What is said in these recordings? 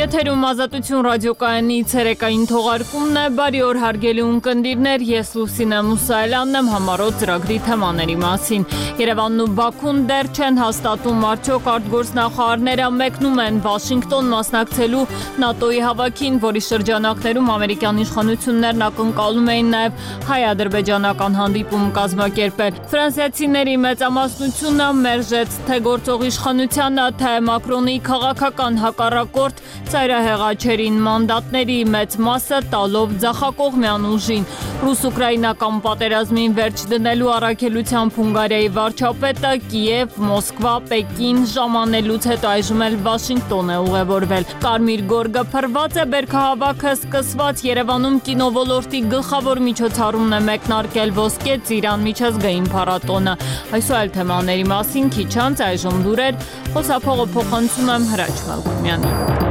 Եթերում Ազատություն ռադիոկայանի ցերեկային թողարկումն է, բարի օր հարգելի ունկնդիրներ, ես Լուսինե Մուսայելյանն եմ համառոտ ծրագրի թեմաների մասին։ Երևանն ու Բաքուն դեռ չեն հաստատում արդյոք արտգործնախարարները մեկնում են Վաշինգտոն մասնակցելու ՆԱՏՕ-ի հավաքին, որի շրջանակներում ամերիկյան իշխանություններն ակնկալում էին նաև հայ-ադրբեջանական հանդիպում կազմակերպել։ Ֆրանսիացիների մեծամասնությունը մերժեց թե գործող իշխանությանը, թե Մակրոնի քաղաքական հակառակորդ ծայրահեղաչերին մանդատների մեծ մասը տալով ձախակողմյան ուժին։ Ռուս-ուկրաինական պատերազմին վերջ դնելու առաքելությամբ Հունգարիայի վարչապետը Կիև, Մոսկվա, Պեկին ժամանելուց հետո այժմ էլ Վաշինգտոն է ուղևորվել։ Կարմիր գորգը փռված է, բերքահավաքը սկսված, Երևանում կինոլորտի գլխավոր միջոցառումն է մեկնարկել Ոսկե ծիրան միջազգային փառատոնը։ Այս ու այլ թեմաների մասին քիչ անց այժմ լուրեր, խոսափողը փոխանցում եմ Հրաչ Մալքումյանին։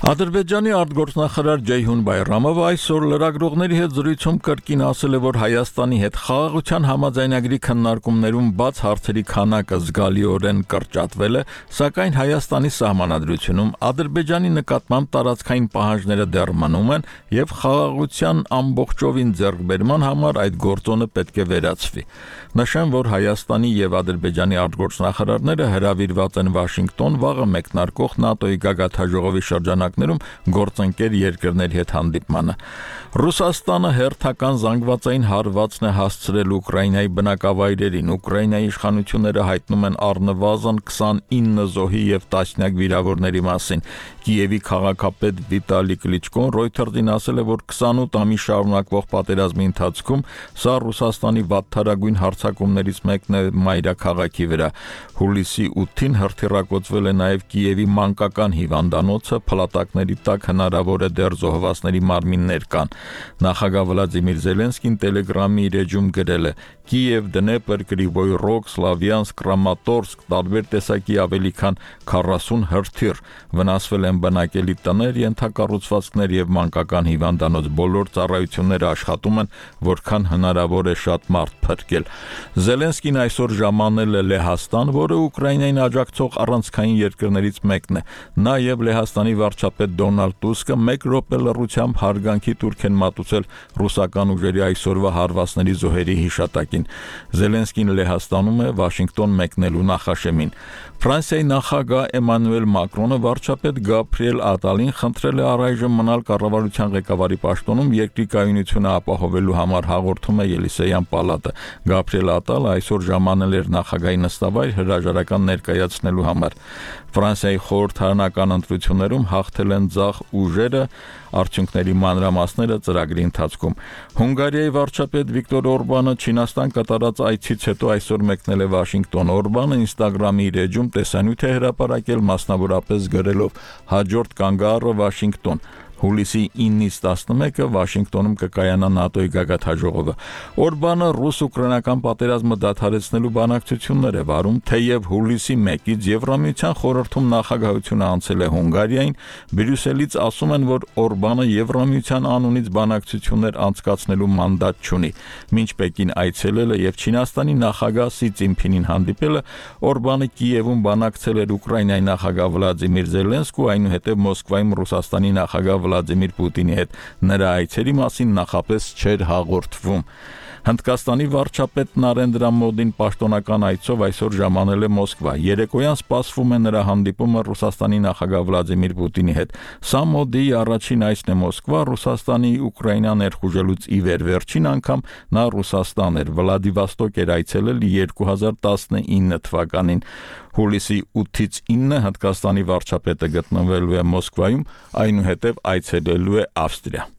Ադրբեջանի արտգործնախարար Ջեյհուն Բայրամովը այսօր լրագրողների հետ զրույցում կրկին ասել է, որ Հայաստանի հետ խաղաղության համաձայնագրի քննարկումներում բաց հարցերի քանակը զգալիորեն կրճատվել է, սակայն Հայաստանի սահմանադրությունում Ադրբեջանի նկատմամբ տարածքային պահանջները դեռ մնում են եւ խաղաղության ամբողջովին ձեռքբերման համար այդ գործոնը պետք է վերացվի։ Նշեմ, որ Հայաստանի եւ Ադրբեջանի արտգործնախարարները հրավիրված են Վաշինգտոն վաղը մեկնարկող ՆԱՏՕ-ի գագաթնաժողովի շրջանակներում գործընկեր երկրների հետ հանդիպմանը։ Ռուսաստանը հերթական զանգվածային հարվածն է հասցրել Ուկրաինայի բնակավայրերին։ Ուկրաինայի իշխանությունները հայտնում են առնվազն 29 զոհի եւ տասնյակ վիրավորների մասին։ Կիևի քաղաքապետ Վիտալի Կլիչկոն Reuters-ին ասել է, որ 28 ամիս շարունակվող պատերազմի ընթացքում սա Ռուսաստանի վատթարագույն հարձակումներից մեկն է մայրաքաղաքի վրա։ Հուլիսի 8-ին հրթիռակոծվել է նաև Կիևի մանկական հիվանդանոցը, փլատակների տակ հնարավոր է դեռ զոհվածների մարմիններ կան։ Նախագահ Վլադիմիր Զելենսկին Telegram-ի իր էջում գրել է. Կիև, Դնեպր, Կրիվոյ Ռոգ, Սլավյանսկ, Կրամատորսկ, տարբեր տեսակի ավելի քան 40 հրթիռ, վնասվել են բնակելի տներ, ենթակառուցվածքներ եւ մանկական հիվանդանոց։ Բոլոր ծառայությունները աշխատում են, որքան հնարավոր է շատ մարդ փրկել։ Զելենսկին այսօր ժամանել է Լեհաստան, որը Ուկրաինային աջակցող առանցքային երկրներից մեկն է։ Նա եւ Լեհաստանի վարչապետ Դոնալդ Տուսկը 1 րոպե լռությամբ հարգանքի տուրք են մատուցել ռուսական ուժերի այսօրվա հարվածների զոհերի հիշատակին։ Զելենսկին Լեհաստանում է Վաշինգտոն մեկնելու նախաշեմին։ Ֆրանսիայի նախագահ Էմանուել Մակրոնը վարչապետ Գաբրիել Ատալին խնդրել է առայժմ մնալ կառավարության ղեկավարի պաշտոնում երկրի կայունությունը ապահովելու համար, հաղորդում է Ելիսեյան պալատը։ Գաբրիել Ատալը այսօր ժամանել էր նախագահի նստավայր հրաժարական ներկայացնելու համար։ Ֆրանսիայի խորհրդարանական ընտրություններում հաղթել են ձախ ուժերը, արդյունքների մանրամասները ծրագրի ընթացքում։ Հունգարիայի վարչապետ Վիկտոր Օրբանը Չինաստան կատարած այցից հետո այսօր մեկնել է Վաշինգտոն։ Օրբանը Instagram-ի իր էջում տեսանյութ է հրապարակել, մասնավորապես գրելով. հաջորդ կանգառը Վաշինգտոն։ Հուլիսի 9-ից 11-ը Վաշինգտոնում կկայանա ՆԱՏՕ-ի գագաթնաժողովը։ Օրբանը ռուս-ուկրաինական պատերազմը դադարեցնելու բանակցություններ է վարում, թեև հուլիսի 1-ից Եվրամիության խորհրդում նախագահությունը անցել է Հունգարիային, Բրյուսելից ասում են, որ Օրբանը Եվրամիության անունից բանակցություններ անցկացնելու մանդատ չունի։ Մինչ Պեկին այցելել է եւ Չինաստանի նախագահ Սի Ցզինփինին հանդիպել է, Օրբանը Կիևում բանակցել էր Ուկրաինայի նախագահ Վլադիմիր Զելենսկու, այնուհետև Մոսկվայում Ռուսաստանի նախագահ Վլադիմիր Պուտինի հետ նրա այցերի մասին նախապես չէր հաղորդվում։ Հնդկաստանի վարչապետ Նարենդրա Մոդին պաշտոնական այցով այսօր ժամանել է Մոսկվա։ Երեկոյան սպասվում է նրա հանդիպումը Ռուսաստանի նախագահ Վլադիմիր Պուտինի հետ։ Սա Մոդիի առաջին այցն է Մոսկվա, Ռուսաստանի Ուկրաինա ներխուժելուց ի վեր վերջին անգամ նա Ռուսաստան էր, Վլադիվոստոկ էր այցելել 2019 թվականին։ Հուլիսի 8-ից 9 Հնդկաստանի վարչապետը գտնվելու է Մոսկվայում, այնուհետև այցելելու է Ավստրիա։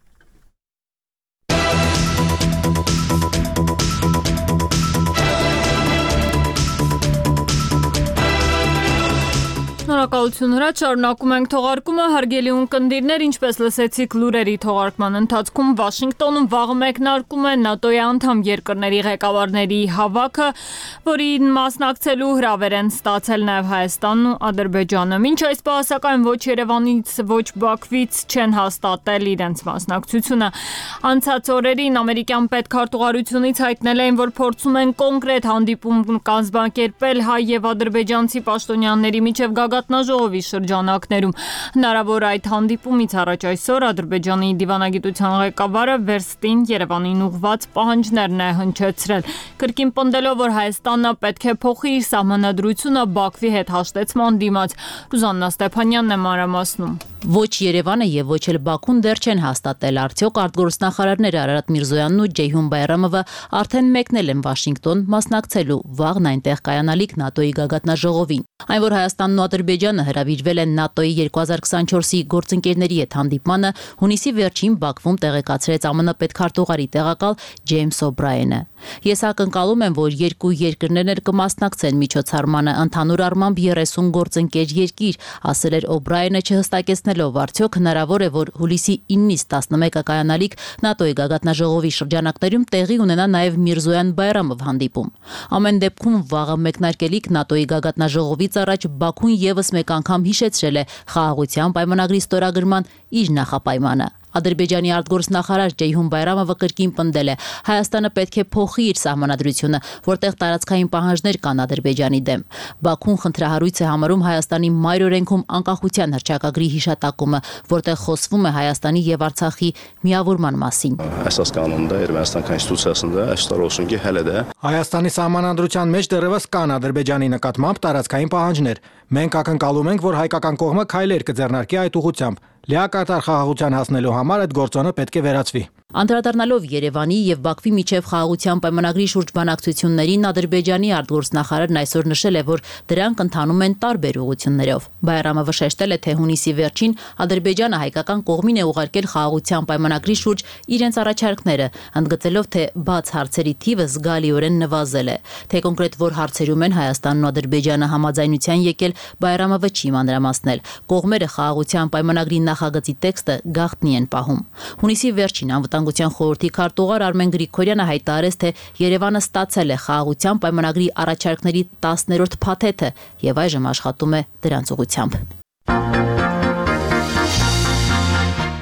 Շնորհակալություն Հրաչ, շարունակում ենք թողարկումը, հարգելի ունկնդիրներ, ինչպես լսեցիք լուրերի թողարկման ընթացքում Վաշինգտոնում վաղը մեկնարկում է ՆԱՏՕ-ի անդամ երկրների ղեկավարների հավաքը, որին մասնակցելու հրավեր են ստացել նաև Հայաստանն ու Ադրբեջանը։ Մինչ այս պահ սակայն ոչ Երևանից, ոչ Բաքվից չեն հաստատել իրենց մասնակցությունը։ Անցած օրերին ամերիկյան պետքարտուղարությունից հայտնել էին, որ փորձում են կոնկրետ հանդիպում կազմակերպել հայ եւ ադրբեջանցի պաշտոնյաների միջև գագաթնաժողովի շրջանակներում։ Հնարավոր այդ հանդիպումից առաջ այսօր Ադրբեջանի դիվանագիտության ղեկավարը վերստին Երևանին ուղղված պահանջներն է հնչեցրել, կրկին պնդելով, որ Հայաստանը պետք է փոխի իր սահմանադրությունը Բաքվի հետ հաշտեցման դիմաց։ Ռուզաննա Ստեփանյանն է մանրամասնում։ Ոչ Երևանը եւ ոչ էլ Բաքուն դեռ չեն հաստատել արդյոք արտգործնախարարները Արարատ Միրզոյանն ու Ջեյհուն Բայրամովը արդեն մեկնել են Վաշինգտոն մասնակցելու վաղն այնտեղ կայանալիք ՆԱՏՕ-ի գագաթնաժողովին։ Այն, որ Հայաստանն ու Ադրբեջանը հրավիրվել են ՆԱՏՕ-ի 2024-ի գործընկերների հետ հանդիպմանը, հունիսի վերջին Բաքվում տեղեկացրեց ԱՄՆ պետքարտուղարի տեղակալ Ջեյմս Օբրայենը։ Ես ակնկալում եմ, որ երկու երկրներն էլ կմասնակցեն միջոցառմանը, ընդհանուր առմամբ 30 գործընկեր երկիր, ասել էր Օբրայենը, չհստակեցնելով արդյոք հնարավոր է, որ հուլիսի 9-ից 11-ը կայանալիք ՆԱՏՕ-ի գագաթնաժողովի շրջանակներում տեղի ունենա նաև Միրզոյան-Բայրամով հանդիպում։ Ամեն դեպքում վաղը մեկնարկելիք ՆԱՏՕ-ի գագաթնաժողովից առաջ Բաքուն եւս մեկ անգամ հիշեցրել է խաղաղության պայմանագրի ստորագրման իր նախապայմանը։ Ադրբեջանի արտգործնախարար Ջեյհուն Բայրամովը կրկին պնդել է, Հայաստանը պետք է փոխի իր սահմանադրությունը, որտեղ տարածքային պահանջներ կան Ադրբեջանի դեմ։ Բաքուն խնդրահարույց է համարում Հայաստանի մայր օրենքում անկախության հռչակագրի հիշատակումը, որտեղ խոսվում է Հայաստանի եւ Արցախի միավորման մասին։ Əsas qanunda Ermənistan konstitusiyasında əksər olsun ki, hələ də Հայաստանի սահմանադրության մեջ դեռևս կան Ադրբեջանի նկատմամբ տարածքային պահանջներ։ Մենք ակնկալում ենք, որ հայկական կողմը քայլեր կձեռնարկի այդ ուղղությամբ։ Լիակատար խաղաղության հասնելու համար այդ գործոնը պետք է վերացվի։ Անդրադառնալով Երևանի եւ Բաքվի միջև խաղաղության պայմանագրի շուրջ բանակցություններին Ադրբեջանի արտգործնախարարն այսօր նշել է, որ դրանք ընթանում են տարբեր ուղղություններով։ Բայրամովը շեշտել է, թե հունիսի վերջին Ադրբեջանը հայկական կողմին է ուղարկել խաղաղության պայմանագրի շուրջ իրենց առաջարկները, ընդգծելով, թե բաց հարցերի թիվը զգալիորեն նվազել է։ Թե կոնկրետ որ հարցերում են Հայաստանն ու Ադրբեջանը համաձայնության եկել, Բայրամովը չի մանրամասնել։ Կողմերը խաղաղության պայմանագրի նախագծի տեքստը գաղտնի են պահում։ Հունիսի վերջին Անվտանգության խորհրդի քարտուղար Արմեն Գրիգորյանը հայտարարեց, թե Երևանը ստացել է խաղաղության պայմանագրի առաջարկների 10-րդ փաթեթը եւ այժմ աշխատում է դրանց ուղղությամբ։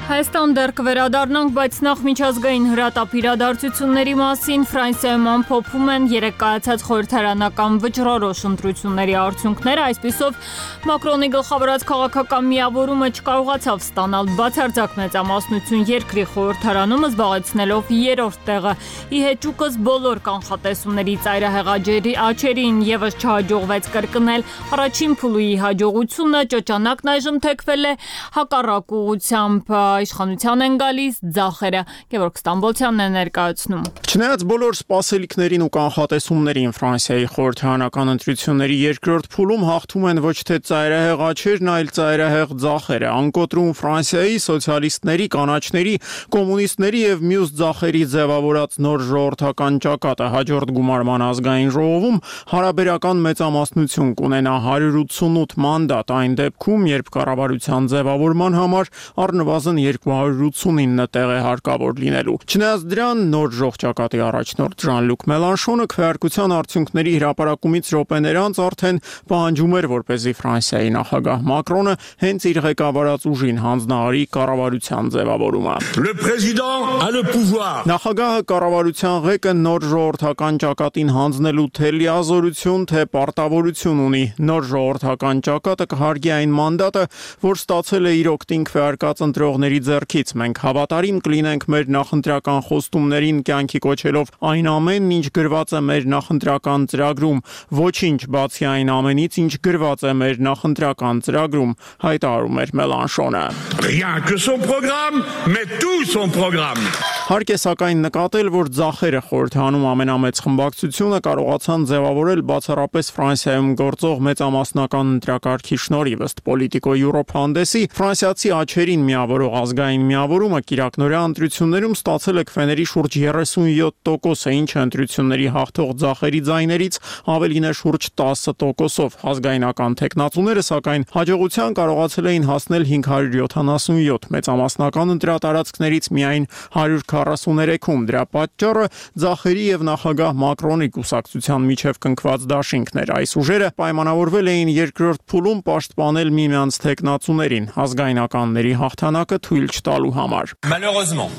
Հայաստան դեռ կվերադառնանք, բայց նախ միջազգային հրատապ իրադարձությունների մասին Ֆրանսիայում ամփոփում են երեկ կայացած խորհրդարանական վճռորոշ ընտրությունների արդյունքները, այսպիսով Մակրոնի գլխավորած քաղաքական միավորումը չկարողացավ ստանալ բացարձակ մեծամասնություն երկրի խորհրդարանում, զբաղեցնելով 3-րդ տեղը։ Ի հեճուկս բոլոր կանխատեսումների ծայրահեղ աճերին եւս չհաջողվեց կրկնել առաջին փուլի հաջողությունը, ճոճանակն այժմ թեքվել է հակառակ ուղղությամբ։ Իշխանության են գալիս ձախերը։ Գևորգ Ստամբոլցյանն է ներկայացնում։ Չնայած բոլոր սպասելիքներին ու կանխատեսումներին Ֆրանսիայի խորհրդարանական ընտրությունների երկրորդ փուլում հաղթում են ոչ թե ծայրահեղ աճերն, այլ ծայրահեղ ձախերը։ Անկոտրում Ֆրանսիայի սոցիալիստների, կանաչների, կոմունիստների եւ մյուս ձախերի ձևավորած նոր ժողովրդական ճակատը հաջորդ գումարման ազգային ժողովում հարաբերական մեծամասնություն կունենա 188 մանդատ այն դեպքում, երբ կառավարության ձևավորման համար առնվազն 289 տեղ է հարկավոր լինելու։ Չնայած դրան, նոր ժողովրդակատի առաջնորդ Ժան-Լուկ Մելանշոնը քվեարկության արդյունքների հրապարակումից րոպեներ անց արդեն պահանջում էր, որպեսզի Ֆրանսիայի նախագահ Մակրոնը հենց իր ղեկավարած ուժին հանձնարարի կառավարության ձևավորումը։ Le président a le pouvoir. Նախագահը կառավարության ղեկը նոր ժողովրդական ճակատին հանձնելու թե լիազորություն, թե պարտավորություն ունի։ Նոր ժողովրդական ճակատը կհարգի այն մանդատը, որ ստացել է իր օգտին քվեարկած ընտրողների ձեռքից։ Մենք հավատարիմ կլինենք մեր նախընտրական խոստումներին, կյանքի կոչելով այն ամենն, ինչ գրված է մեր նախընտրական ծրագրում, ոչինչ բացի այն ամենից, ինչ գրված է մեր նախընտրական ծրագրում, հայտարարում էր Մելանշոնը։ Rien que son programme, mais tout son programme. Հարկ է սակայն նկատել, որ ձախերը խորհրդանում ամենամեծ խմբակցությունը կարողացան ձևավորել բացառապես Ֆրանսիայում գործող մեծամասնական ընտրակարգի շնորհիվ ըստ Politico Europe հանդեսի ֆրանսիացի աչերին միավորող ազգային միավորումը կիրակնօրյա ընտրություններում ստացել է քվեների շուրջ 37%, ինչը ընտրությունների հաղթող ձախերի ձայներից ավելին է շուրջ 10%-ով։ Ազգայնական թեկնածուները սակայն հաջողության կարողացել էին հասնել 577 մեծամասնական ընտրատարածքներից միայն 143-ում։ Դրա պատճառը ձախերի եւ նախագահ Մակրոնի կուսակցության միջև կնքված դաշինքն էր։ Այս ուժերը պայմանավորվել էին երկրորդ փուլում պաշտպանել միմյանց թեկնածուներին ազգայնականների հաղթանակը թույլ չտալու համար։ Malheureusement,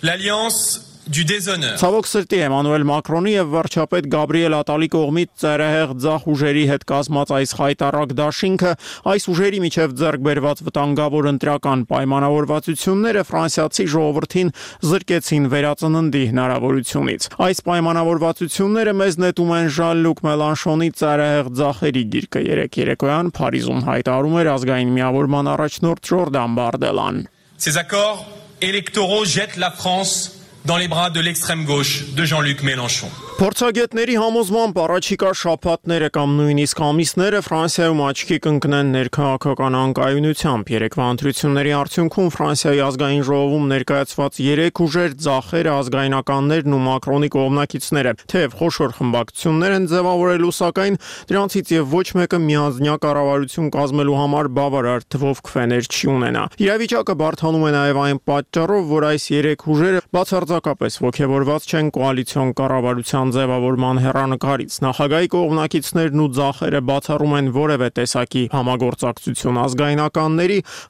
l'alliance du déshonneur. Ցավոք սրտի Էմանուել Մակրոնի եւ վարչապետ Գաբրիել Ատալի կողմից ծայրահեղ ձախ ուժերի հետ կազմած այս խայտառակ դաշինքը այս ուժերի միջև ձեռք բերված վտանգավոր ընտրական պայմանավորվածությունները ֆրանսիացի ժողովրդին զրկեցին վերածննդի հնարավորությունից։ Այս պայմանավորվածությունները մեզ նետում են Ժան-Լուկ Մելանշոնի ծայրահեղ ձախերի գիրկը երեկոյան Փարիզում հայտարարում էր ազգային միավորման առաջնորդ Ժորդան Բարդելան։ Ces accords électoraux jettent la France dans les bras de l'extrême gauche de Jean-Luc Mélenchon. Փորձագետների համոզմամբ առաջիկա շաբաթները կամ նույնիսկ ամիսները Ֆրանսիայում աչքի կընկնեն ներքաղաքական անկայունությամբ։ Երեկվա ընտրությունների արդյունքում Ֆրանսիայի ազգային ժողովում ներկայացված 3 ուժեր՝ ձախերը, ազգայնականներն ու Մակրոնի կողմնակիցները, թեև խոշոր խմբակցություններ են ձևավորելու, սակայն դրանցից եւ ոչ մեկը միանձնյա կառավարություն կազմելու համար բավարար թվով քվեներ չի ունենա։ Իրավիճակը բարդանում է նաեւ այն պատճառով, որ այս 3 ուժերը բացարձակապես ողջավորված չեն կոալիցիոն կառավարության ձևավորման հեռանկարից։ Նախագահի կողմնակիցներն ու ձախերը բացառում են որևէ տեսակի համագործակցություն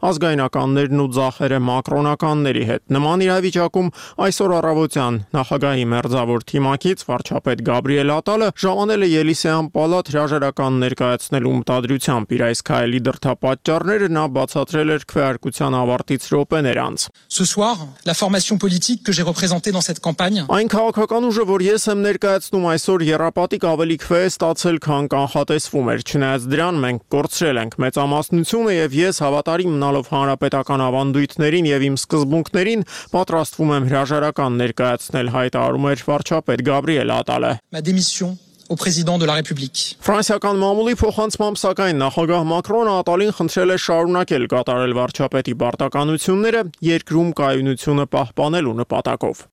ազգայնականներն ու ձախերը մակրոնականների հետ։ Նման իրավիճակում այսօր առավոտյան նախագահի մերձավոր թիմակից վարչապետ Գաբրիել Ատալը ժամանել է Ելիսեյան պալատ հրաժարական ներկայացնելու մտադրությամբ։ Իր այս քայլի դրդապատճառները նա բացատրել էր քվեարկության ավարտից րոպեներ անց։ Ce soir, la formation politique que j'ai représentée dans cette campagne. Այն քաղաքական ուժը, որ ես եմ ներկայացնում այսօր երապատիկ ավելի քվե է ստացել, քան կանխատեսվում էր։ Չնայած դրան մենք կորցրել ենք մեծամասնությունը եւ ես հավատարիմ մնալով հանրապետական ավանդույթներին եւ իմ սկզբունքներին պատրաստվում եմ հրաժարական ներկայացնել, հայտարարում էր վարչապետ Գաբրիել Ատալը։ Ma démission au président de la République. Ֆրանսիական մամուլի փոխանցմամբ սակայն նախագահ Մակրոնը Ատալին խնդրել է շարունակել կատարել վարչապետի պարտականությունները երկրում կայունությունը պահպանելու նպատակով։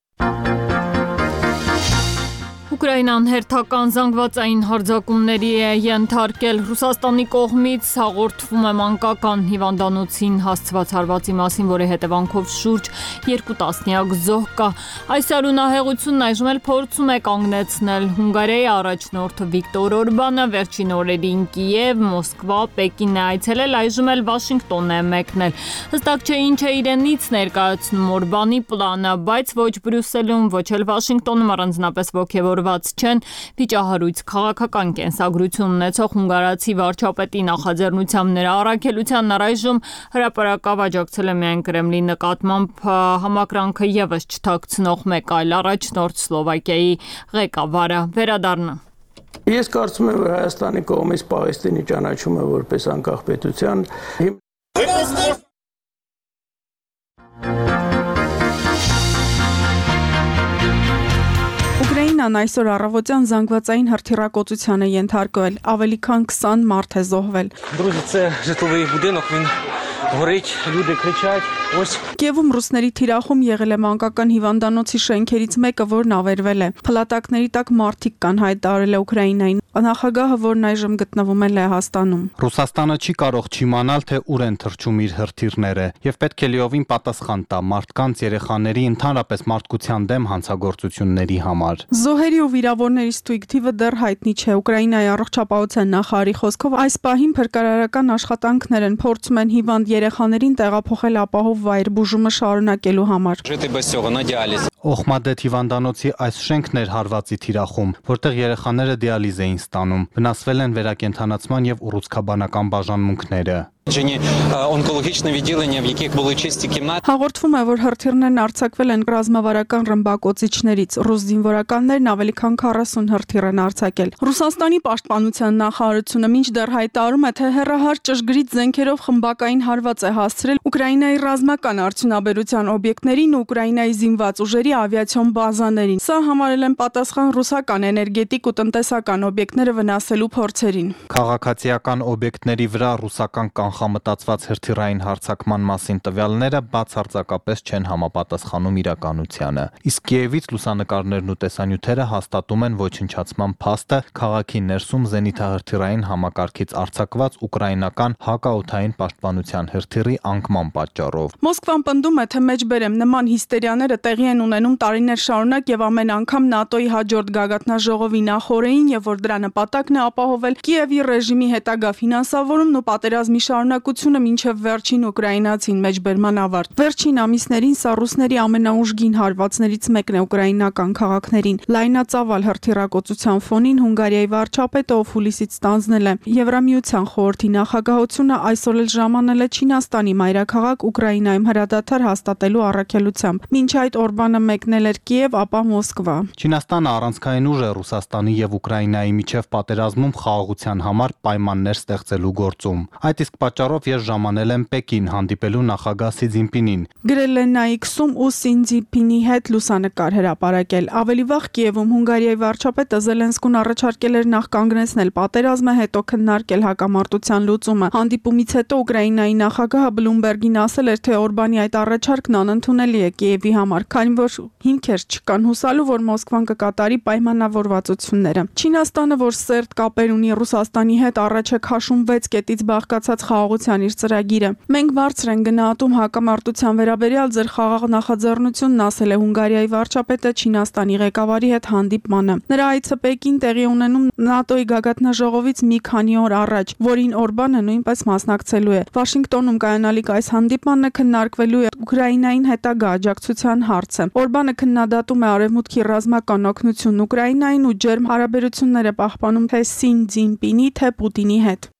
Ուկրաինան հերթական զանգվածային հարձակումների է ենթարկել։ Ռուսաստանի կողմից հաղորդվում է մանկական հիվանդանոցին հասցված հարվածի մասին, որի հետևանքով շուրջ 2 տասնյակ զոհ կա։ Այս արունահեղությունն այժմ էլ փորձում է կանգնեցնել Հունգարիայի առաջնորդ Վիկտոր Օրբանը, վերջին օրերին Կիև, Մոսկվա, Պեկին է այցելել, այժմ էլ Վաշինգտոն է մեկնել։ Հստակ չէ ինչ է իրենից ներկայացնում Օրբանի պլանը, բայց ոչ Բրյուսելում, ոչ էլ Վաշինգտոնում առանձնապես ոգևոր չեն վիճահարույց քաղաքական կենսագրություն ունեցող հունգարացի վարչապետի նախաձեռնությամբ նրա առաքելությանն առայժմ հրապարակավ աջակցել է միայն Կրեմլի նկատմամբ համակրանքը եւս չթաքցնող մեկ այլ առաջնորդ Սլովակիայի ղեկավարը։ Վերադառնա։ Ես կարծում եմ, որ Հայաստանի կողմից Պաղեստինի ճանաչումը որպես անկախ պետության Ուկրաինան այսօր առավոտյան զանգվածային հրթիռակոծության է ենթարկվել, ավելի քան 20 մարդ է զոհվել։ Друзі, це житловий будинок, він горить, люди кричать. Ось Կիևում ռուսների թիրախում եղել է մանկական հիվանդանոցի շենքերից մեկը, որն ավերվել է։ Փլատակների տակ մարդիկ կան, հայտարարել է Ուկրաինային նախագահը, որն այժմ գտնվում է Լեհաստանում։ Ռուսաստանը չի կարող չիմանալ, թե ուր են թռչում իր հրթիռները, եւ պետք է լիովին պատասխան տա մարդկանց, երեխաների, ընդհանրապես մարդկության դեմ հանցագործությունների համար։ Զոհերի ու վիրավորների ստույգ թիվը դեռ հայտնի չէ։ Ուկրաինայի առողջապահության նախարարի խոսքով այս պահին փրկարարական աշխատանքներ են, փորձում են հիվանդ երեխաներին տեղափոխել ապահով վայր բուժումը շարունակելու համար։ Օխմադեթ հիվանդանոցի այս շենքն էր հարվածի թիրախում, որտեղ երեխաները դիալիզ էին ստանում։ Վնասվել են վերակենդանացման եւ ուռուցքաբանական բաժանմունքները։ Онկологічне відділення, в яких були чисті кімнати. Հաղորդվում է, որ հրթիռներն արձակվել են ռազմավարական ռմբակոծիչներից։ Ռուս զինվորականներն ավելի քան 40 հրթիռ են արձակել։ Ռուսաստանի պաշտպանության նախարարությունը մինչդեռ հայտարարում է, թե հեռահար ճշգրիտ զենքերով խմբակային հարված է հասցրել Ուկրաինայի ռազմական արդյունաբերության օբյեկտներին ու Ուկրաինայի զինված ուժերի ավիացիոն բազաներին։ Սա համարել են պատասխան ռուսական էներգետիկ ու տնտեսական օբյեկտները վնասելու փորձերին։ Քաղաքացիական օբյեկտների վրա ռուսական կանխամտածված հրթիռային հարձակման մասին տվյալները բացարձակապես չեն համապատասխանում իրականությանը։ Իսկ Կիևից լուսանկարներն ու տեսանյութերը հաստատում են ոչնչացման փաստը քաղաքի ներսում զենիթահրթիռային համակարգից արձակված ուկրաինական հակաօդային պաշտպանության հրթիռի անկման պատճառով։ Մոսկվան պնդում է, թե մեջբերեմ նման հիստերիաները տեղի են ունենում տարիներ շարունակ եւ ամեն անգամ ՆԱՏՕ-ի հաջորդ գագաթնաժողովի նախօրեին եւ որ դրա նպատակն է ապահովել Կիևի ռեժիմի հետագա ֆինանսավորումն ու պատերազմի շարունակությունը մինչև վերջին ուկրաինացին մեջբերման ավարտ։ Վերջին ամիսներին սա ռուսների ամենաուժգին հարվածներից մեկն է ուկրաինական քաղաքներին։ Լայնածավալ հրթիռակոծության ֆոնին Հունգարիայի վարչապետը ով հուլիսից ստանձնել է Եվրամիության խորհրդի նախագահությունը այսօր էլ ժամանել է Չինաստանի մայրաքաղաք Ուկրաինայում հրադադար հաստատելու առաքելությամբ։ Մինչ այդ Օրբանը մեկնել էր Կիև, ապա Մոսկվա։ Չինաստանը առանցքային ուժ է Ռուսաստանի եւ Ուկրաինայի միջև պատերազմում խաղաղության համար պայմաններ ստեղծելու գործում։ Այդ իսկ պատճառով ես ժամանել եմ Պեկին հանդիպելու նախագահ Սի Ցզինպինին։ Գրել են Նայքսում ու Սի Ցզինպինի հետ լուսանկար հրապարակել։ Ավելի վաղ Կիևում Հունգարիայի վարչապետը Զելենսկուն առաջարկել էր նախ կանգնեցնել պատերազմը, հետո քննարկել հակամարտության լուծումը։ Հանդիպումից հետո Ուկրաինայի նախագահը Բլումբերգին ասել էր, թե Օրբանի այդ առաջարկն անընդունելի է Կիևի համար, քանի որ հիմքեր չկան հուսալու, որ Մոսկվան կկատարի պայմանավորվածությունները։ Չինաստանը, որ սերտ կապեր ունի Ռուսաստանի հետ, առաջ է քաշում 6 կետից բաղկացած խաղաղության իր ծրագիրը։ Մենք բարձր են գնահատում հակամարտության վերաբերյալ ձեր խաղաղ նախաձեռնությունն, ասել է Հունգարիայի վարչապետը Չինաստանի ղեկավարի հետ հանդիպմանը։ Նրա այցը Պեկին տեղի ունենում ՆԱՏՕ-ի գագաթնաժողովից մի քանի օր առաջ, որին Օրբանը նույնպես մասնակցելու է։ Վաշինգտոնում կայանալիք այս հանդիպմանը քննարկվելու է Ուկրաինային հետագա աջակցության հարցը։ Օրբանը քննադատում է Արևմուտքի ռազմական օգնությունն Ուկրաինային ու ջերմ հարաբերությունները պահպանում թե Սի Ցզինպինի, թե Պուտինի հետ։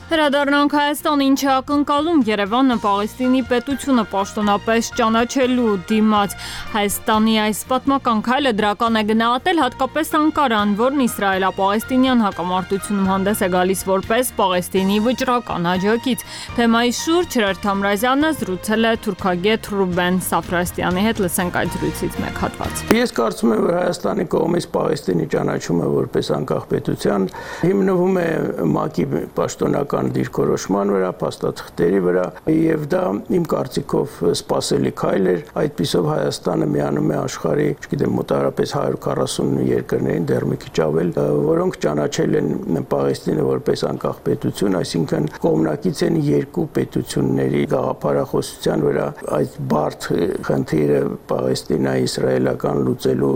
Հրադառնանք Հայաստան, ինչը ակնկալում Երևանը Պաղեստինի պետությունը պաշտոնապես ճանաչելու դիմաց։ Հայաստանի այս պատմական քայլը դրական է գնահատել հատկապես Անկարան, որն իսրայելա-պաղեստինյան հակամարտությունում հանդես է գալիս որպես Պաղեստինի վճռական աջակից։ Թեմայի շուրջ Հրեր Թամրազյանը զրուցել է թուրքագետ Ռուբեն Սաֆրաստյանի հետ, լսենք այդ զրույցից մեկ հատված։ Ես կարծում եմ, որ Հայաստանի կողմից Պաղեստինի ճանաչումը որպես անկախ պետության հիմնվում է ՄԱԿ-ի պաշտոնական դիրքորոշման վրա, փաստաթղթերի վրա, եւ դա իմ կարծիքով սպասելի քայլ էր։ Այդպիսով Հայաստանը միանում է աշխարհի, չգիտեմ, մոտավորապես 140 երկրներին, դեռ մի քիչ ավել, որոնք ճանաչել են Պաղեստինը որպես անկախ պետություն, այսինքն կողմնակից են երկու պետությունների գաղափարախոսության վրա այդ բարդ խնդիրը Պաղեստինա-իսրայելական լուծելու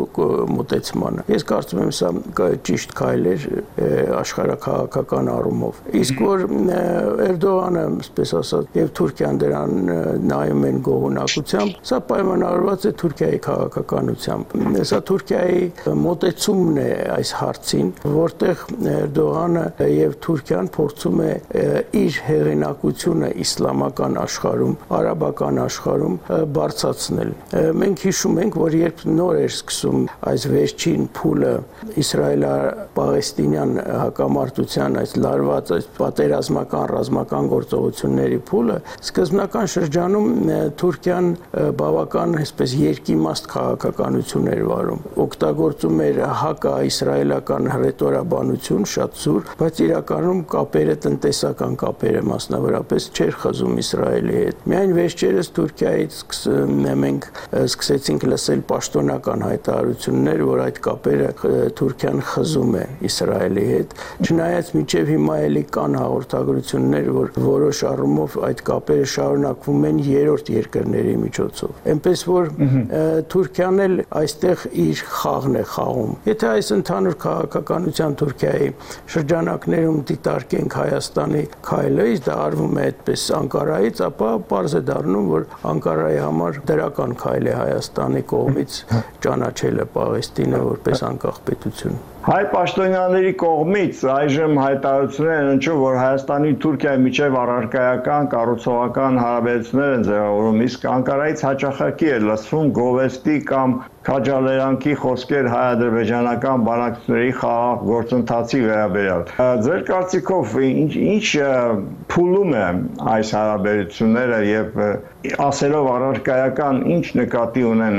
մոտեցմանը։ Ես կարծում եմ, սա ճիշտ քայլ էր աշխարհաքաղաքական առումով։ Իսկ որ Էրդողանը, այսպես ասած, եւ Թուրքիան դրան նայում են գոհունակությամբ, սա պայմանավորված է Թուրքիայի քաղաքականությամբ։ Սա Թուրքիայի մոտեցումն է այս հարցին, որտեղ Էրդողանը եւ Թուրքիան փորձում է իր հեղինակությունը իսլամական աշխարհում, արաբական աշխարհում բարձրացնել։ Մենք հիշում ենք, որ երբ նոր էր սկսում այս վերջին փուլը իսրայելա-պաղեստինյան հակամարտության այս լարված այս պատերազմական ռազմական գործողությունների փուլը, սկզբնական շրջանում Թուրքիան բավական այսպես երկիմաստ քաղաքականություն էր վարում, օգտագործում էր հակաիսրայելական հռետորաբանություն շատ զուր, բայց իրականում կապերը տնտեսական կապերը մասնավորապես չէր խզում Իսրայելի հետ։ Միայն վերջերս Թուրքիայից մենք սկսեցինք լսել պաշտոնական հայտարարություններ, որ այդ կապերը Թուրքիան խզում է Իսրայելի հետ, չնայած մինչև հիմա էլի կան հաղորդագրություններ, որ որոշ առումով այդ կապերը շարունակվում են երրորդ երկրների միջոցով։ Էնպես որ Թուրքիան էլ այստեղ իր խաղն է խաղում։ Եթե այս ընդհանուր քաղաքականության Թուրքիայի շրջանակներում դիտարկենք Հայաստանի քայլը, դա արվում է այդպես Անկարայից, ապա պարզ է դառնում, որ Անկարայի համար դրական քայլ է Հայաստանի կողմից ճանաչելը Պաղեստինը որպես անկախ պետություն։ Հայ պաշտոնյաների կողմից այժմ հայտարարություններ են հնչում, որ Հայաստանի Թուրքիայի միջև առարկայական կառուցողական հարաբերություններ են ձևավորում, իսկ Անկարայից հաճախակի է լսվում գովեստի կամ քաջալերանքի խոսքեր հայ-ադրբեջանական բանակցությունների խաղաղ գործընթացի վերաբերյալ։ Ձեր կարծիքով ինչ փուլում է այս հարաբերությունները եւ ասելով առարկայական ինչ նկատի ունեն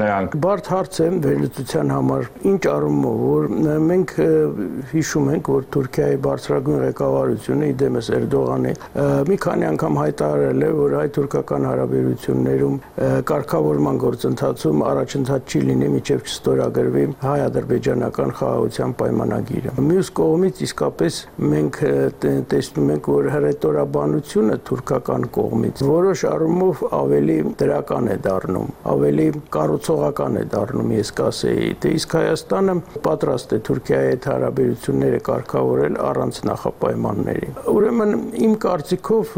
նրանք։ Բարդ հարց է վերլուծության համար, ինչ առումով, որ մենք հիշում ենք, որ Թուրքիայի բարձրագույն ղեկավարությունը իդեմս Էրդողանի մի քանի անգամ հայտարարել է, որ հայ-թուրքական հարաբերություններում կարգավորման գործընթացում առաջընթաց չի լինի, մինչև չստորագրվի հայ-ադրբեջանական խաղաղության պայմանագիրը։ Մյուս կողմից իսկապես մենք տեսնում ենք, որ հռետորաբանությունը թուրքական կողմից որոշ առումով ավելի դրական է դառնում, ավելի կառուցողական է դառնում, ես կասեի, թե իսկ Հայաստանը պատրաստ է Թուրքիայի հետ հարաբերությունները կարգավորել առանց նախապայմանների։ Ուրեմն իմ կարծիքով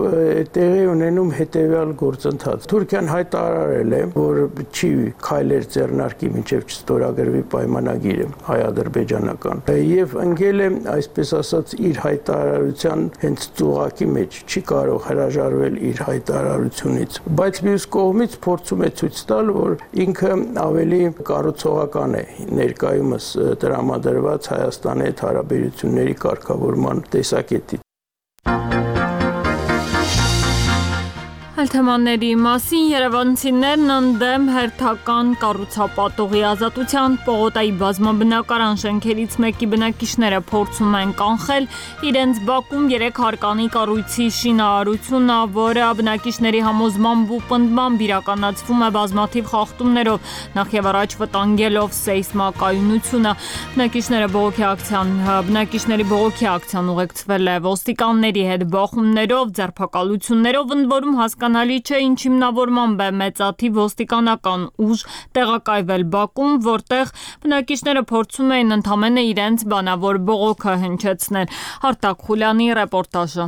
տեղի ունենում հետևյալ գործընթաց։ Թուրքիան հայտարարել է, որ չի քայլեր ձեռնարկի մինչև չստորագրվի պայմանագիրը հայ-ադրբեջանական եւ ընկել է, այսպես ասած, իր հայտարարության հենց ծուղակի մեջ, չի կարող հրաժարվել իր հայտարարությունից, բայց մյուս կողմից փորձում է ցույց տալ, որ ինքը ավելի կառուցողական է ներկայումս տրամադրված Հայաստանի հետ հարաբերությունների կարգավորման տեսակետից։ Թեմաների մասին երևանցիներն ընդդեմ հերթական կառուցապատողի ազատության պողոտայի բազմաբնակարան շենքերից մեկի բնակիչները փորձում են կանխել իրենց բակում 3 հարկանի կառույցի շինարարությունը, որը բնակիչների համոզմամբ ու պնդմամբ իրականացվում է բազմաթիվ խախտումներով, նախ եւ առաջ վտանգելով սեյսմակայունությունը։ Բնակիչների բողոքի ակցիան ուղեկցվել է ոստիկանների հետ բախումներով, ձերբակալություններով, ընդ որում հասկանալի չէ ինչ հիմնավորմամբ է մեծաթիվ ոստիկանական ուժ տեղակայվել Բաքում, որտեղ բնակիչները փորձում էին ընդամենը իրենց բանավոր բողոքը հնչեցնել։ Արտակ Խուլյանի ռեպորտաժը։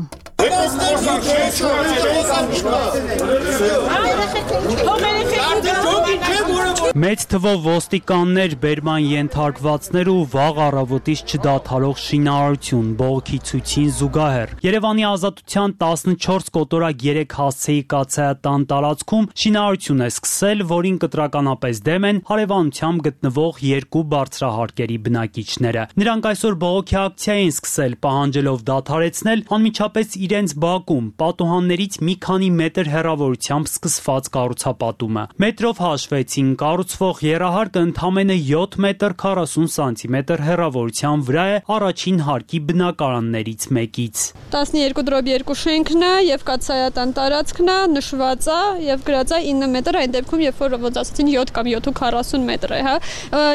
Մեծ թվով ոստիկաններ, բերման ենթարկվածներ ու վաղ առավոտից չդադարող շինարարություն բողոքի ցույցին զուգահեռ։ Երևանի Ազատության 14 կոտորակ 3 հասցեի կաթսայատան տարածքում շինարարություն է սկսել, որին կտրականապես դեմ են հարևանությամբ գտնվող 2 բարձրահարկերի բնակիչները։ Նրանք այսօր բողոքի ակցիա են սկսել, պահանջելով դադարեցնել անմիջապես իրենց բակում պատուհաններից մի քանի մետր հեռավորությամբ սկսված կառուցապատումը։ Մետրով հաշվեցին, կառուցվող եռահարկը ընդամենը 7 մետր 40 սանտիմետր հեռավորության վրա է առաջին հարկի բնակարաններից մեկից։ 12/2 շենքն է եւ կաթսայատան տարածքն է, նշված է եւ գրած է 9 մետր, այն դեպքում երբ որ ոնց ասացին 7 կամ 7.40 մետր է, հա։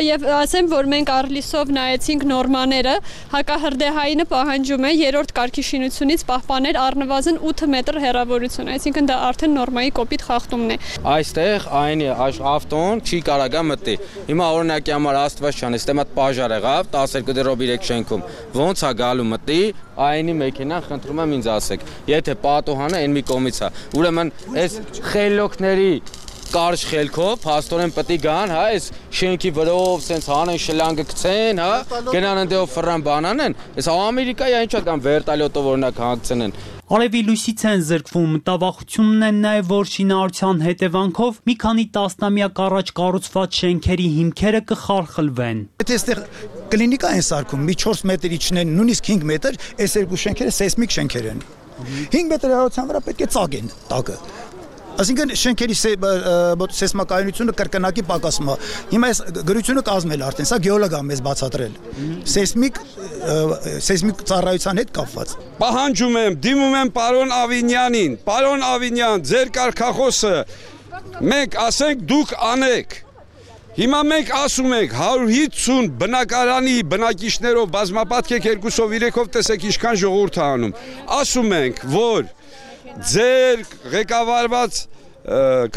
Եվ ասեմ, որ մենք Արլիսով նայեցինք նորմաները, հակահրդեհայինը պահանջում է 3-րդ կարգի շինությունից պահպանել առնվազն 8 մետր հեռավորություն, այսինքն դա արդեն նորմայի կոպիտ խախտումն է։ Այստեղ այն ավտոն չի կարագա մտի։ Հիմա օրինակի համար Աստվածչան, այստեղ մատ պաժար եղավ 12/3 շենքում։ Ոնց է գալու մտի, այնի մեքենան խնդրում եմ ինձ ասեք։ Եթե պատուհանը այն մի կողմից է, ուրեմն այս խելոքների կարճ խելքով փաստորեն պետք է գան, հա, այս շենքի վրով սենց հանեն շլանգը գցեն, հա, գնան ընդեով ֆրան բանանեն, այս Ամերիկայի այնչա կամ վերտալյոտով օրինակ հանգցնեն։ Արևի լույսից են զրկվում, մտավախությունն են նաև, որ շինարարության հետևանքով մի քանի տասնամյակ առաջ կառուցված շենքերի հիմքերը կխարխլվեն։ Եթե այստեղ կլինիկա են սարքում, մի 4 մետր իջնեն, նույնիսկ 5 մետր, այս երկու շենքերը սեյսմիկ շենքեր են։ 5 մետր հեռավորության վրա պետք է ծագեն տակը։ Այսինքն շենքերի սեյսմակայունությունը կրկնակի պակասում է։ Հիմա այս գրությունը կազմել արդեն, սա գեոլոգ է մեզ բացատրել։ Սեյսմիկ ծառայության հետ կապված։ Պահանջում եմ, դիմում եմ պարոն Ավինյանին, պարոն Ավինյան, ձեր կարգախոսը մենք ասենք դուք անեք։ Հիմա մենք ասում ենք 150 բնակարանի բնակիչներով բազմապատկեք 2-3-ով տեսեք ինչքան ժողովուրդ է անում։ Ասում ենք, որ ձեր ղեկավարված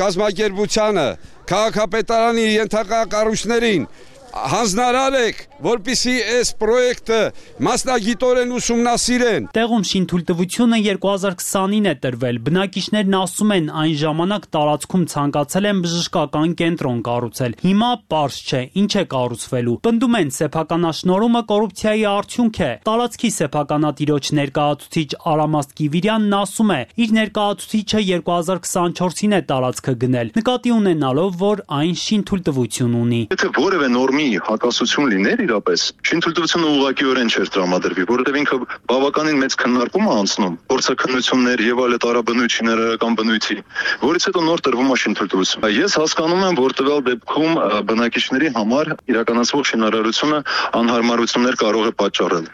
կազմակերպությանը քաղաքապետարանի ենթակա կառույցներին հանձնարար եք, որպեսզի այս պրոյեկտը մասնագիտորեն ուսումնասիրեն։ Տեղում շինթույլտվությունը 2020-ին է տրվել։ Բնակիչներն ասում են, այն ժամանակ տարածքում ցանկացել են բժշկական կենտրոն կառուցել։ Հիմա պարզ չէ, ինչ է կառուցվելու։ Պնդում են, սեփականաշնորհումը կոռուպցիայի արդյունք է։ Տարածքի սեփականատիրոջ ներկայացուցիչ Արամաստ Կիվիրյանն ասում է, իր ներկայացուցիչը 2024-ին է տարածքը գնել, նկատի ունենալով, որ այն շինթույլտվություն ունի։ Եթե որևէ նորմի հակասություն լիներ իրապես, շինթույլտվությունը ուղղակիորեն չէր տրամադրվի, որովհետև ինքը բավականին մեծ քննարկում է անցնում, փորձաքննություններ եւ այլ տարաբնույթ շինարարական բնույթի, որից հետո նոր տրվում է շինթույլտվություն։ Ես հասկանում եմ, որ տվյալ դեպքում բնակիչների համար իրականացվող շինարարությունը անհարմարություններ կարող է պատճառել։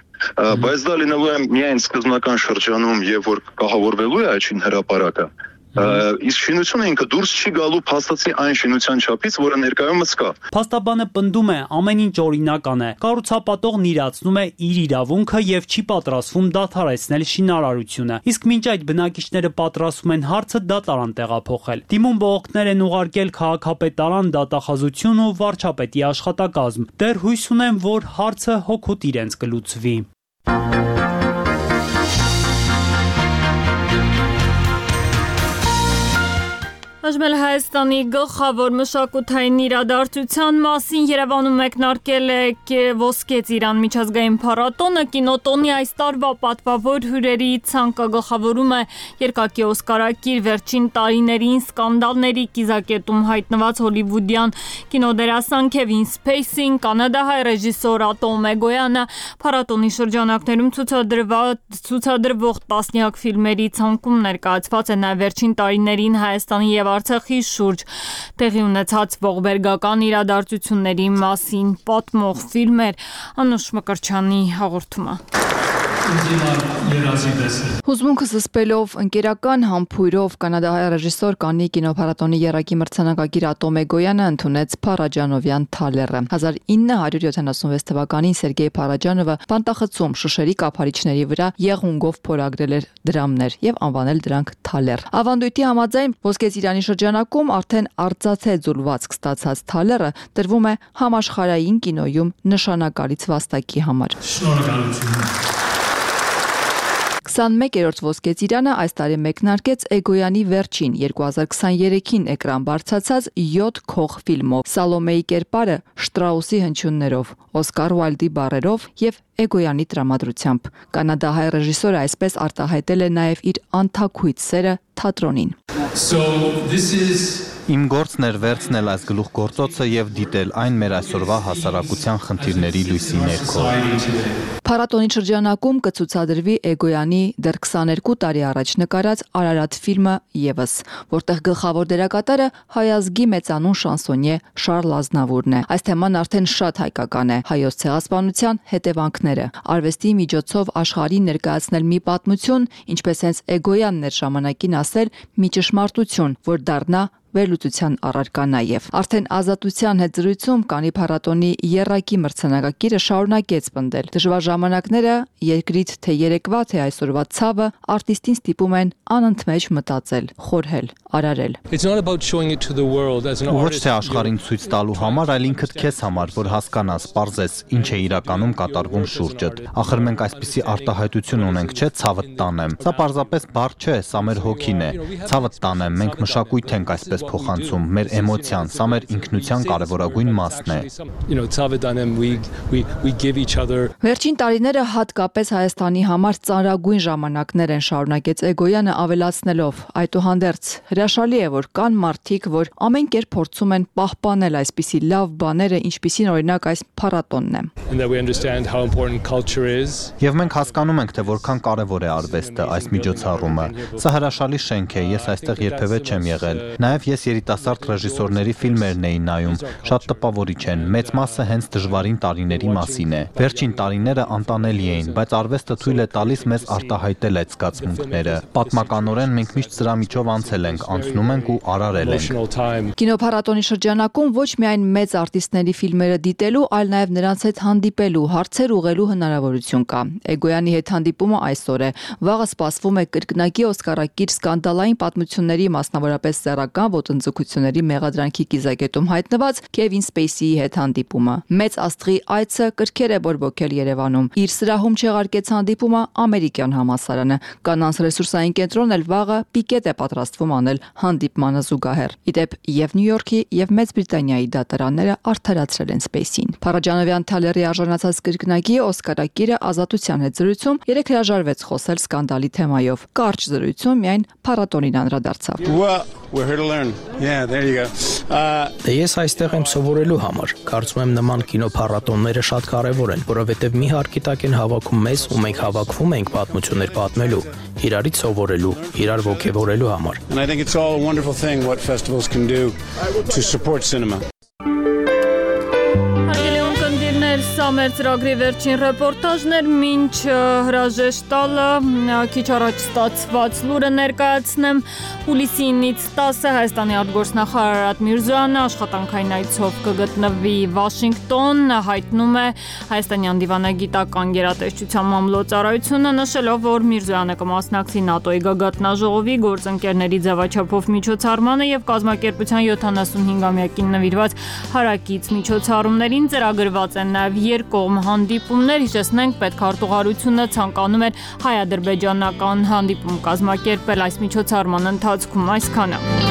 Բայց դա լինելու է միայն սկզբնական շրջանում եւ որ կահավորվելու է այդ շինհրապարակը։ Իսկ շինությունը ինքը դուրս չի գալու փաստացի այն շինության չափից, որը ներկայումս կա։ Փաստաբանը պնդում է, ամեն ինչ օրինական է։ Կառուցապատողն իրացնում է իր իրավունքը եւ չի պատրաստվում դադարեցնել շինարարությունը։ Իսկ մինչ այդ բնակիչները պատրաստվում են հարցը դատարան տեղափոխել։ Դիմում բողոքներ են ուղարկել քաղաքապետարան, դատախազություն ու վարչապետի աշխատակազմ։ Դեռ հույս ունեն, որ հարցը հօգուտ իրենց կլուծվի։ Այժմ Հայաստանի գլխավոր մշակութային իրադարձության մասին Երևանում մեկնարկել է Ոսկե ծիրան միջազգային փառատոնը, կինոտոնի այս տարվա պատվավոր հյուրերի ցանկը գլխավորում է երկակի օսկարակիր վերջին տարիներին սկանդալների կիզակետում հայտնված հոլիվուդյան կինոդերասան Քևին Սփեյսին, կանադահայ ռեժիսոր Ատոմ Էգոյանը, փառատոնի շրջանակներում ցուցադրվող տասնյակ ֆիլմերի ցանկում ներկայացված է նաև վերջին տարիներին Հայաստանի եւ Արցախի շուրջ տեղի ունեցած ողբերգական իրադարձությունների մասին պատմող ֆիլմեր։ Անուշ Մկրչյանի հաղորդումը։ Հուզմունքս զսպելով ընկերական համբույրով կանադահայ ռեժիսոր Կաննի կինոփառատոնի եռակի մրցանակակիր Ատոմ Էգոյանը ընդունեց Փարաջանովյան թալերը։ 1976 թվականին Սերգեյ Փարաջանովը Պանտախցում Շուշերի կափարիչների վրա եղունգով փորագրել էր դրամներ եւ անվանել դրանք թալեր։ Ավանդույթի համաձայն Ոսկե ծիրանի շրջանակում արդեն արծաթե ձուլվածք ստացած թալերը տրվում է համաշխարհային կինոյում նշանակալից վաստակի համար։ Շնորհակալություն։ 21-րդ Ոսկե ծիրանը այս տարի մեկնարկեց Էգոյանի վերջին 2023-ին էկրան բարձրացած 7 քող ֆիլմով՝ Սալոմեի կերպարը Շտրաուսի հնչյուններով, Օսկար Ուայլդի բառերով եւ Էգոյանի տրամադրությամբ։ Կանադահայ ռեժիսորը այսպես արտահայտել է նաեւ իր անթաքույց սերը թատրոնին։ Իմ գործն էր վերցնել այս գլուխգործոցը եւ դիտել այն մեր այսօրվա հասարակության խնդիրների լույսի ներքո։ Փառատոնի շրջանակում կցուցադրվի Էգոյանի դեռ 22 տարի առաջ նկարած Արարատ ֆիլմը եւս, որտեղ գլխավոր դերակատարը հայազգի մեծանուն շանսոնյե Շարլ Ազնավուրն է։ Այս թեման արդեն շատ հայկական է։ Հայոց ցեղասպանության հետևանքները, արվեստի միջոցով աշխարհին ներկայացնել մի պատմություն, ինչպես հենց Էգոյանն էր ժամանակին ասել, մի ճշմարտություն, որ դառնա վերլուծության առարկա նաև։ Արդեն ազատության հետ զրույցում Կանի փառատոնի եռակի մրցանակակիրը շարունակեց պնդել։ Դժվար ժամանակները, երկրից թե երեկվա, թե այսօրվա ցավը արտիստին ստիպում են անընդմեջ մտածել, խորհել, արարել։ Ոչ թե աշխարհին ցույց տալու համար, այլ ինքդ քեզ համար, որ հասկանաս, պարզես, ինչ է իրականում կատարվում շուրջդ։ Ախր մենք այսպիսի արտահայտություն ունենք, չէ՞, ցավդ տանեմ։ Սա պարզապես բառ չէ, սա մեր հոգին է։ Ցավդ տանեմ, մենք մշակույթ ենք այսպես փոխանցում, մեր էմոցիան, սա մեր ինքնության կարևորագույն մասն է։ Վերջին տարիները հատկապես Հայաստանի համար ծանրագույն ժամանակներ են, շարունակեց Էգոյանը ավելացնելով. այդուհանդերձ հրաշալի է, որ կան մարդիկ, որ ամեն կերպ փորձում են պահպանել այսպիսի լավ բաները, ինչպիսին օրինակ այս փառատոնն է։ Եվ մենք հասկանում ենք, թե որքան կարևոր է արվեստը, այս միջոցառումը։ Սա հրաշալի շենք է, ես այստեղ երբևէ չեմ եղել։ Նաև ես երիտասարդ ռեժիսորների ֆիլմերն էի նայում, շատ տպավորիչ են, մեծ մասը հենց դժվարին տարիների մասին է։ Վերջին տարիները անտանելի էին, բայց արվեստը թույլ է տալիս մեզ արտահայտել այդ զգացմունքները։ Պատմականորեն մենք միշտ սրա միջով անցել ենք, անցնում ենք ու արարել ենք։ Կինոփառատոնի շրջանակում ոչ միայն մեծ արտիստների ֆիլմերը դիտելու, այլ նաև նրանց հետ հանդիպելու, հարցեր ուղղելու հնարավորություն կա։ Էգոյանի հետ հանդիպումը այսօր է։ Վաղը սպասվում է կրկնակի օսկարակիր սկանդալային պատմությունների, մասնավորապես սեռական ոտնձգությունների մեղադրանքի կիզակետում հայտնված Քևին Սպեյսիի հետ հանդիպումը։ Մեծ աստղի այցը կրքեր է բորբոքել Երևանում։ Իր սրահում չեղարկեց հանդիպումը ամերիկյան համալսարանը։ Կանանց ռեսուրսային կենտրոնն էլ վաղը պիկետ է պատրաստվում անել հանդիպմանը զուգահեռ։ Իդեպ եւ Նյու Յորքի եւ Մեծ Բրիտանիայի դատարանները արդարացրել են Սպեյսին։ Փարաջանովյան Թալերի արժանացած կրկնակի օսկարակիրը Ազատության հետ զրույցում երեք հրաժարվեց խոսել սկանդալի թեմայով։ Կարճ զրույցում միայն փառատոնին անդրադարձավ։ We're here to learn. Yeah, there you go. Ես այստեղ եմ սովորելու համար։ Կարծում եմ նման կինոփառատոնները շատ կարևոր են, որովհետև մի հարկի տակ են հավաքում մեզ ու մենք հավաքվում ենք պատմություններ պատմելու, իրարից սովորելու, իրար ոգևորելու համար։ And I think it's all a wonderful thing what festivals can do to support cinema. Սա մեր ծրագրի վերջին ռեպորտաժն էր, մինչ հրաժեշտ տալը քիչ առաջ ստացված լուրը ներկայացնեմ։ Հուլիսի 9-ից 10-ը Հայաստանի արտգործնախարար Արարատ Միրզոյանը աշխատանքային այցով կգտնվի Վաշինգտոն, հայտնում է Հայաստանյան դիվանագիտական գերատեսչության մամլոյցարայությունը, նշելով, որ Միրզոյանը կմասնակցի ՆԱՏՕ-ի գագաթնաժողովի գործընկերների ձևաչափով միջոցառմանը եւ կազմակերպության 75-ամյակին նվիրված հարակից միջոցառումներին ծրագրված են նաև երկկողմ հանդիպումներ, հիշեցնենք, պետքարտուղարությունը ցանկանում էր հայ-ադրբեջանական հանդիպում կազմակերպել այս միջոցառման ընթացքում այսքանը։